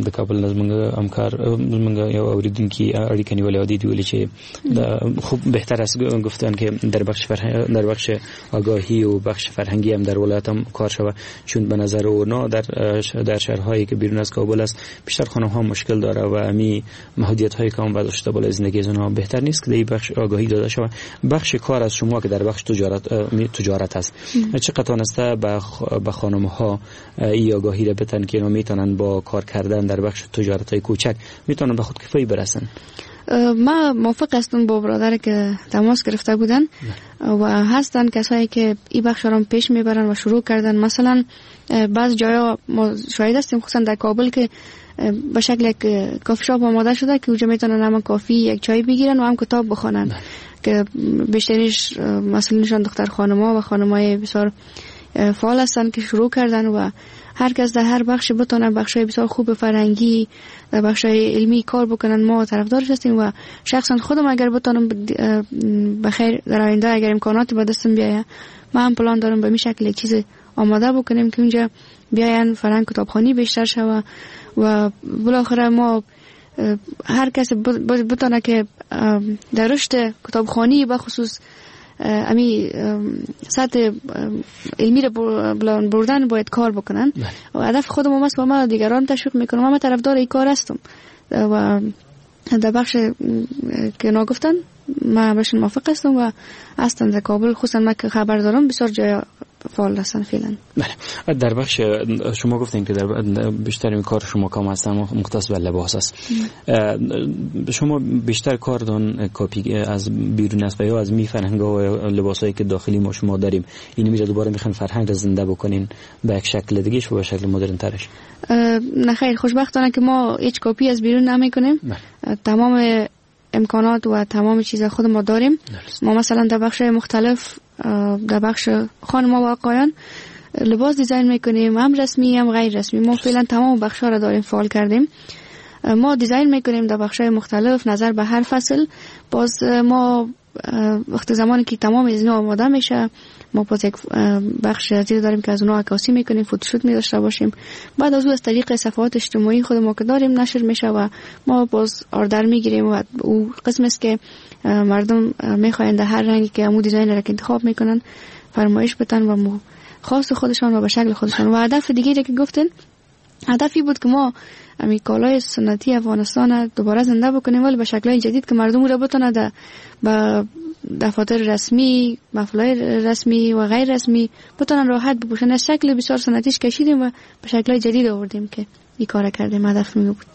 د کابل نه زموږ همکار، زموږ یو اوریدونکي اړیکه نیولې او دی ویلي چې خوب بهتر است گفتن که در بخش فرهنگ، در بخش آگاهی و بخش فرهنگی هم در ولایت هم کار شود، چون به نظر اونا در شهرهایی که بیرون از کابل است بیشتر خانم ها مشکل داره و امی محدودیت های که هم وضع شده بالای زندگی از اونها بهتر نیست که در بخش آگاهی داده شود. بخش کار از شما که در بخش تجارت است، چقدر توانسته به خانم ها ای آگاهی را بتن که اینا میتونن با کار کردن در بخش تجارت های کوچک میتونن به خودکفایی برسن؟ ما موافق هستم با برادر که تماس گرفته بودن و هستن کسایی که این بخش را پیش میبرن و شروع کردن. مثلا بعض جایا ما شاهد هستیم، خصوصا در کابل، که به شکل یک کافی شاپ آماده شده که اونجا میتونن هم کافی یک چای بگیرن و هم کتاب بخوانن، که بیشترش مسئولینشان دختر خانم‌ها و خانم‌های بسیار فعال هستن که شروع کردن و هر کس در هر بخش بتونه بخش‌های بسیار خوب فرهنگی، در بخش‌های علمی کار بکنن، ما طرفدارش هستیم و شخصا خودم اگر بتونم بخیر در آینده اگر امکانات به دستم بیاید، من هم پلان دارم به می شکل یک چیز آماده بکنیم که اونجا بیاین فرهنگ کتابخوانی بیشتر شوه و بالاخره ما هر کس بتونه که در رشد کتابخوانی به خصوص امی سطح علمی رو بردن باید کار بکنن. و هدف خودم هم است و ما دیگران تشویق میکنم، ما طرفدار این کار هستم و در بخش که نگفتن من بهشون موافق هستم و هستم در کابل، خصوصا من که خبر دارم بسیار جای فعال هستن فعلا. بله، در بخش شما گفتین که در بیشتر این کار شما کام هستن مختص به لباس است. شما بیشتر کارتون کپی از بیرون است و یا از می فرهنگ و لباسایی که داخلی ما شما داریم اینو میره دوباره میخوان فرهنگ رو زنده بکنین به یک شکل دیگه و به شکل مدرن ترش؟ نه خیر، خوشبختانه که ما هیچ کپی از بیرون نمیکنیم. تمام امکانات و تمام چیز خود ما داریم. ما مثلا در بخش مختلف، در بخش خانم‌ها و آقایان لباس design میکنیم، هم رسمی هم غیر رسمی. ما فعلا تمام بخش‌ها را داریم فعال کردیم. ما design میکنیم در بخش‌های مختلف نظر به هر فصل. باز ما وقت زمانی که تمام از اینا آماده میشه، ما باز یک بخش زیر داریم که از اونها عکاسی میکنیم، photoshoot می داشته باشیم. بعد از او از طریق صفحات اجتماعی خود ما که داریم نشر میشه و ما باز order میگیریم و او قسم است که مردم میخواین در هر رنگی که امو design را که انتخاب میکنن فرمایش بدن و مو خاص خودشان و به شکل خودشان. و هدف دیگه که گفتن، هدفی بود که ما امی کالای سنتی افغانستان دوباره زنده بکنیم، ولی به شکل‌های جدید که مردم را بتونه در با دفاتر رسمی، محفل‌های رسمی و غیر رسمی بتونن راحت بپوشن. از شکل بسیار سنتیش کشیدیم و به شکل‌های جدید آوردیم که این کار کردیم. هدف می بود.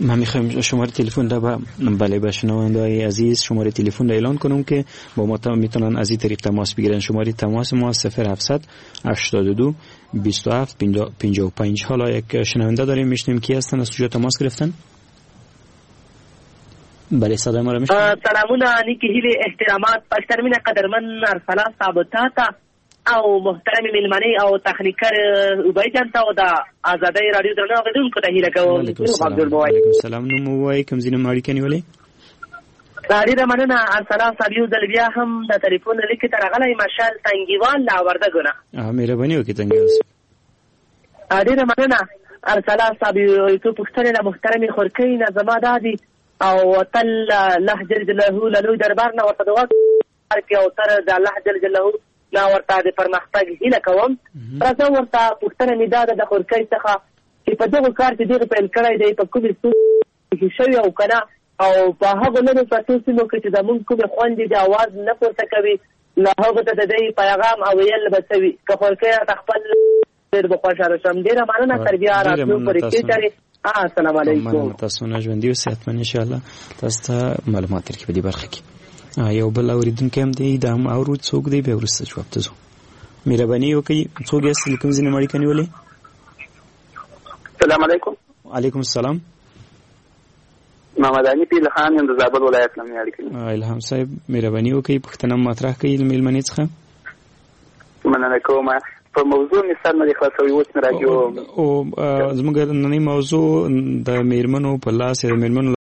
من میخوایم شماره تلفن را بله به شنونده‌های عزیز شماره تلفن را اعلان کنم که با ما میتونن از این طریق تماس بگیرن. شماره تماس ما 0782 27 55. حالا یک شنونده داریم، میشنیم کی هستن، از کجا تماس گرفتن؟ بله صدای ما را میشنوید؟ سلامونه، نیکی هیلې، احترامات، پښترمینه قدرمن ارسلا صاحب تاته او محترم میلمانه او تخنیکر عبید جان ته او د ازادۍ رادیو درنو اورېدونکو ته هیله کوم. علیکم السلام. نوم ووایئ، کوم ځای نه اړیکه نیولې؟ ډېره مننه ارسلا صاحب، یو ځل بیا هم د تلیفون له لیکې ته راغلی مشال تنګیوال له وردګو نه. مهرباني وکړئ تنګیوال صاحب. ډېره مننه ارسلا صاحب، یو څو پوښتنې له محترمې خورکۍ نه زما دا دي او تل الله جل جلاله له لوی دربار نه ورته دعا کوي او تر د الله جل جلاله نه ورته د پرمختګ هیله کوم. راځه ورته پوښتنه مې دا ده د خورکۍ څخه چې په دغه کار چې دغه پیل کړی دی په کومې ستونزې شوې او که نه، او په هغو لرو پرتو سیمو کې چې زموږ کومې خویندې د اواز نه پورته کوي له هغو ته د دوی پیغام او ویل به څه وي؟ که خورکۍ راته خپل ډېر به خوشحاله شم. ډېره مننه، تر بیا راتلو پورې ښې چارې. السلام علیکم. مننه تاسو نه، ژوندي اوسئ حتما ان شاء الله تاسو ته معلومات درکړي په دې برخه کې. یو بل اورېدونکی هم دی، دا هم اورو څوک دی، بیا وروسته جواب ته ځو. مهرباني وکړئ، څوک یاست، له کوم ځای نه مو اړیکه نیولې؟ السلام علیکم. علیکم السلام. محمد حنیف الهام یم، د زابل ولایت نه مې اړیکه نیولې. الهام صاحب مهرباني وکړئ، پوښتنه مطرح کړئ له مېلمنې څخه. مننه کوم. په موضوع مې سر نه دی خلاص شوی، اوس مې راډیو او زموږ نننۍ موضوع د میرمنو په لاس یا د میرمنو